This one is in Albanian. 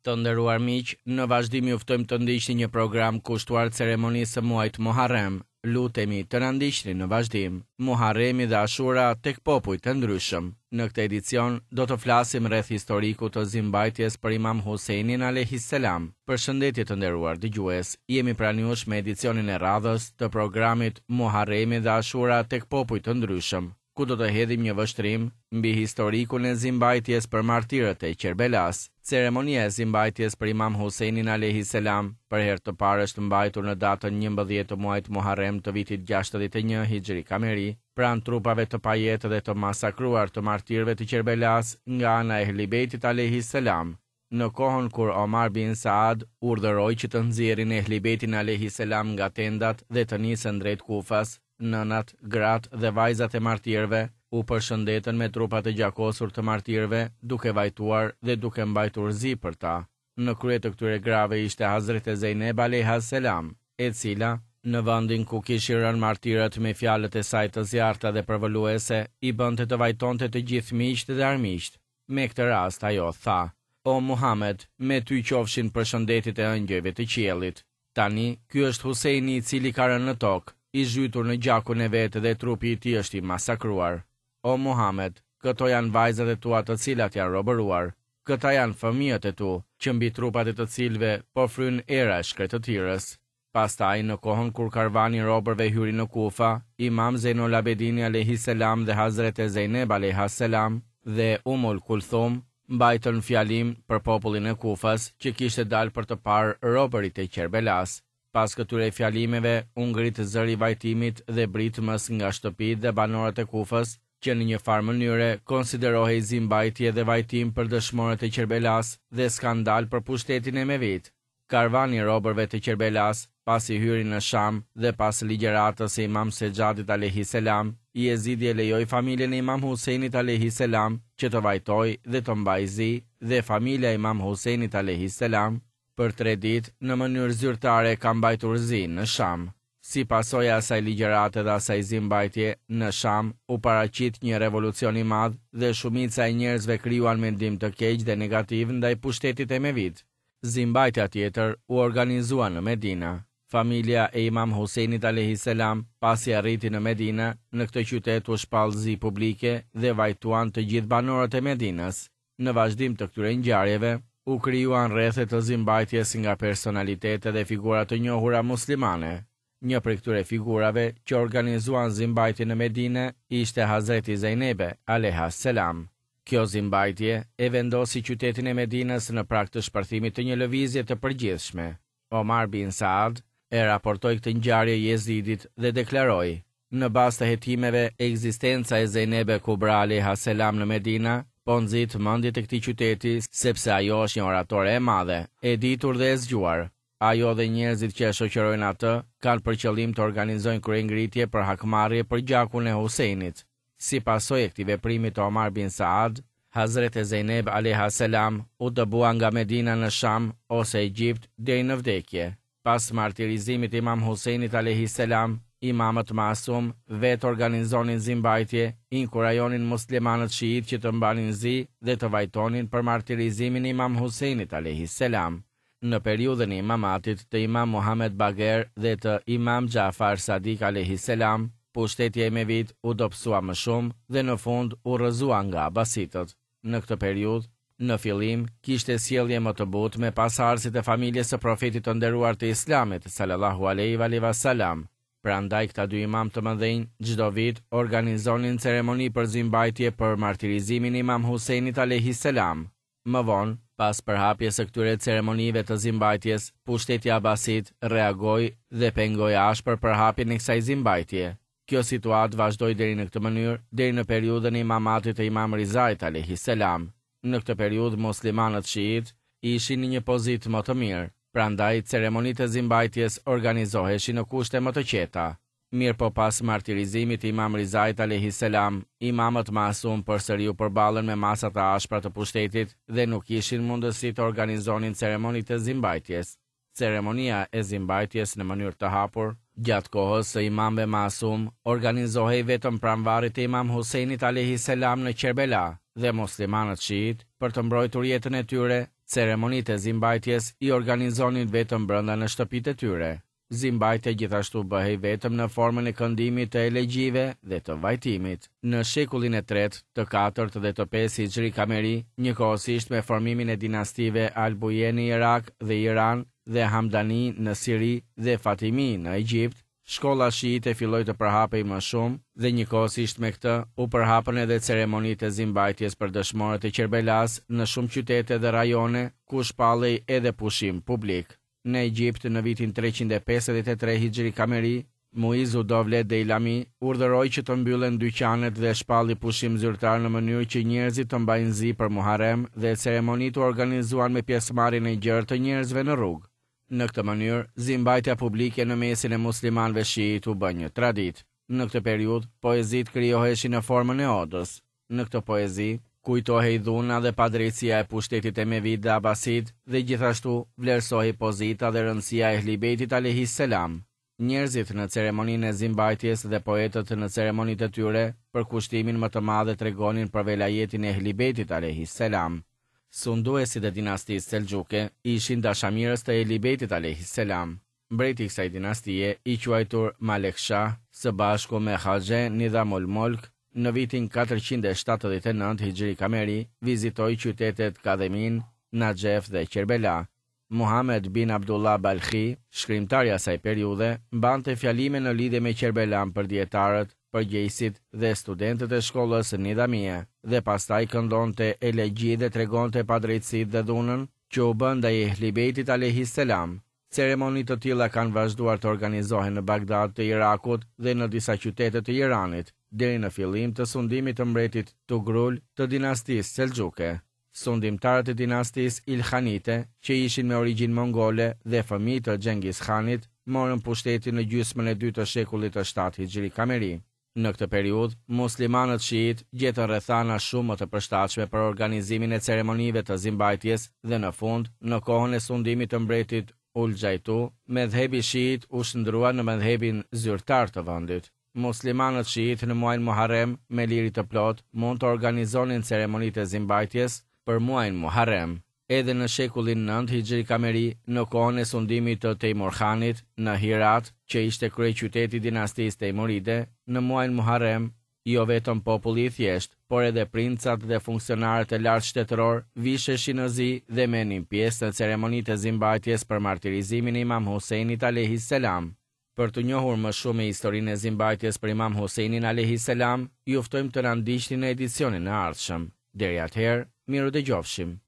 Të nderuar miq, në vazhdim ju ftojmë të ndiqni një program kushtuar ceremonisë së muajit Muharrem. Lutemi të na ndiqni në vazhdim. Muharremi dhe Ashura tek popujt e ndryshëm. Në këtë edicion do të flasim rreth historikut të zimbajtjes për Imam Husejnin alejhi selam. Përshëndetje të nderuar dëgjues, jemi pranë jush me edicionin e radhës të programit Muharremi dhe Ashura tek popujt të ndryshëm. ku do të hedhim një vështrim mbi historikun e zimbajtjes për martirët e Qerbelasë. Ceremonia e zimbajtjes për Imam Husejnin alejhi selam për herë të parë është mbajtur në datën 11 të muajit Muharrem të vitit 61 Hixhri Kameri, pranë trupave të pajetë dhe të masakruar të martirëve të Qerbelasë nga ana e Ehli Bejtit alejhi selam. Në kohën kur Omar bin Saad urdhëroi që të nxjerrin Ehli Bejtin alejhi selam nga tendat dhe të nisen drejt Kufas, nënat, gratë dhe vajzat e martirëve u përshëndetën me trupat e gjakosur të martirëve duke vajtuar dhe duke mbajtur zi për ta. Në krye të këtyre grave ishte Hazrete Zejneb alejha selam, e cila, në vendin ku kishin rënë martirët me fjalët e saj të zjarrta dhe përvëluese, i bënte të vajtonte të gjithë miqtë dhe armiqtë. Me këtë rast ajo tha, O Muhamed, me ty qofshin përshëndetjet e ëngjëjve të qiellit. Tani, ky është Husejni i cili ka rënë në tokë, i zhytur në gjakun e vet dhe trupi i tij është i masakruar. O Muhamed, këto janë vajzat e tua të cilat janë robëruar. Këta janë fëmijët e tu, që mbi trupat e të cilëve po fryn era e shkretëtirës. Pastaj, në kohën kur karvani i robërve hyri në Kufa, Imam Zejnul Abedini alejhi selam dhe Hazrete Zejneb alejha selam dhe Ummul Kulthum mbajtën fjalim për popullin e Kufas që kishte dalë për të parë robërit e Qerbelasë. Pas këtyre fjalimeve u ngrit zëri i vajtimit dhe britmës nga shtëpitë dhe banorët e Kufës, që në një farë mënyre konsiderohej zimbajtje dhe vajtim për dëshmorët e Qerbelasë dhe skandal për pushtetin emevit. Karvani i robërve të Qerbelasë, pasi hyri në Sham dhe pas ligjëratës së Imam Sexhadit alejhi selam, Jezidi e lejoi familjen e Imam Husejnit alejhi selam që të vajtojë dhe të mbajë zi dhe familja e Imam Husejnit alejhi selam për tre ditë në mënyrë zyrtare ka mbajtur zi në Sham. Si pasojë e asaj ligjërate dhe asaj zimbajtje, në Sham u paraqit një revolucion i madh dhe shumica e njerëzve krijuan mendim të keq dhe negativ ndaj pushtetit emevit. Zimbajtja tjetër u organizua në Medina. Familja e Imam Husejnit alejhi selam, pasi arriti në Medina, në këtë qytet u shpall zi publike dhe vajtuan të gjithë banorët e Medinës. Në vazhdim të këtyre ngjarjeve, u krijuan rrethe të zimbajtjes nga personalitete dhe figura të njohura muslimane. Një prej këtyre figurave që organizuan zimbajtjen në Medine ishte Hazreti Zejnebe, alejha selam. Kjo zimbajtje e vendosi qytetin e Medinës në prag të shpërthimit të një lëvizje të përgjithshme. Omar bin Saad e raportoi këtë ngjarje Jezidit dhe deklaroi, Në bazë të hetimeve, ekzistenca e Zejnebe Kubra alejha selam në Medina po nxit mendjet e këtij qyteti sepse ajo është një oratore e madhe, e ditur dhe e zgjuar. Ajo dhe njerëzit që e shoqërojnë atë kanë për qëllim të organizojnë kryengritje për hakmarrje për gjakun e Husejnit. Si pasojë e këtij veprimi të Omar bin Saad, Hazrete Zejneb alejha selam u dëbua nga Medina në Sham ose Egjipt deri në vdekje. Pas martirizimit të Imam Husejnit alejhi selam, imamët masum vetë organizonin zimbajtje, inkurajonin muslimanët shiitë që të mbanin zi dhe të vajtonin për martirizimin e Imam Husejnit alejhi selam. Në periudhën e imamatit të Imam Muhamed Bager dhe të Imam Xhafar Sadik alejhi selam, pushteti emevit u dobësua më shumë dhe në fund u rrëzua nga abasitët. Në këtë periudhë, në fillim, kishte sjellje më të butë me pasardhësit e familjes së Profetit të nderuar të Islamit, salallahu alejhi ve alihi ve selam. Prandaj këta dy imamë të mëdhenj çdo vit organizonin ceremoni për zimbajtje për martirizimin e Imam Husejnit alejhi selam. Më vonë, pas përhapjes së këtyre ceremonive të zimbajtjes, pushteti abasit reagoi dhe pengoi ashpër përhapjen e kësaj zimbajtje. Kjo situatë vazhdoi deri në këtë mënyrë, deri në periudhën e imamatit të Imam Rizait alejhi selam. Në këtë periudhë muslimanët shiitë ishin në një pozitë më të mirë, prandaj ceremonitë e zimbajtjes organizoheshin në kushte më të qeta. Mirëpo pas martirizimit të Imam Rizait alejhi selam, imamët masum përsëri u përballën me masa të ashpra të pushtetit dhe nuk kishin mundësi të organizonin ceremonitë e zimbajtjes. Ceremonia e zimbajtjes në mënyrë të hapur, gjatë kohës së imamëve masum, organizohej vetëm pranë varrit të Imam Husejnit alejhi selam në Qerbela dhe muslimanët shiitë, për të mbrojtur jetën e tyre, Ceremonitë e zimbajtjes i organizonin vetëm brenda në shtëpitë e tyre. Zimbajtja gjithashtu bëhej vetëm në formën e këndimit të elegjive dhe të vajtimit. Në shekullin e tretë, të katërt dhe të pesë Hixhri Kameri, njëkohësisht me formimin e dinastive Al Buje në Irak dhe Iran dhe Hamdani në Siri dhe Fatimi në Egjipt, shkolla shiite filloi të përhapej më shumë dhe njëkohësisht me këtë u përhapën edhe ceremonitë e zimbajtjes për dëshmorët e Qerbelasë në shumë qytete dhe rajone ku shpallej edhe pushim publik. Në Egjipt, në vitin 353 Hixhri Kameri, Muizu Dovlet Dejlami urdhëroi që të mbyllen dyqanet dhe shpalli pushim zyrtar në mënyrë që njerëzit të mbajnë zi për Muharrem dhe ceremonitë u organizuan me pjesëmarrjen e gjerë të njerëzve në rrugë. Në këtë mënyrë, zimbajtja publike në mesin e muslimanëve shiitë u bë një traditë. Në këtë periudhë, poezitë krijoheshin në formën e odës. Në këtë poezi, kujtohej dhuna dhe padrejtësia e pushtetit emevid dhe abasid dhe gjithashtu vlerësohej pozita dhe rëndësia e Ehli Bejtit alejhi selam. Njerëzit në ceremoninë e zimbajtjes dhe poetët në ceremonitë e tyre, përkushtimin më të madh e tregonin për velajetin e Ehli Bejtit alejhi selam. Sunduesit e dinastisë Selxhuke ishin dashamirës të Ehli Bejtit alejhi selam. Mbreti i kësaj dinastie, i quajtur Malek Shah, së bashku me Haxhe Nidhamul Mulk, në vitin 479 Hixhri Kameri, vizitoi qytetet Kadhemin, Naxhef dhe Qerbela. Muhamed bin Abdullah Balkhi, shkrimtar i asaj periudhe, mbante fjalime në lidhje me Qerbelan për dijetarët, përgjegjësit dhe studentët e shkollës Nidhamije, dhe pastaj këndonte elegji dhe tregonte padrejtësitë dhe dhunën që u bë ndaj Ehli Bejtit alejhi selam. Ceremoni të tilla kanë vazhduar të organizohen në Bagdad të Irakut dhe në disa qytete të Iranit, deri në fillim të sundimit të mbretit Tugrul të dinastisë Selxhuke. Sundimtarët e dinastisë Ilkhanite, që ishin me origjinë mongole dhe fëmijë të Xhengis Khanit, morën pushtetin në gjysmën e dytë të shekullit të shtatë Hixhri Kameri. Në këtë periudhë, muslimanët shiitë gjetën rrethana shumë më të përshtatshme për organizimin e ceremonive të zimbajtjes dhe në fund, në kohën e sundimit të mbretit Ulxhajtu, medhhebi shiit u shndërrua në medhhebin zyrtar të vendit. Muslimanët shiitë në muajin Muharrem me liri të plotë mund të organizonin ceremonitë e zimbajtjes për muajin Muharrem. Edhe në shekullin nëntë Hixhri Kameri, në kohën e sundimit të Tejmur Khanit, në Hirat, që ishte kryeqyteti i dinastisë Tejmuride, në muajin Muharrem, jo vetëm populli i thjeshtë, por edhe princat dhe funksionarët e lartë shtetërorë visheshin në zi dhe merrnin pjesë në ceremonitë e zimbajtjes për martirizimin e Imam Husejnit alejhi selam. Për t'u njohur më shumë me historinë e zimbajtjes për Imam Husejnin alejhi selam, ju ftojmë të na ndiqni në edicionin e ardhshëm. Deri atëherë, mirudëgjofshim.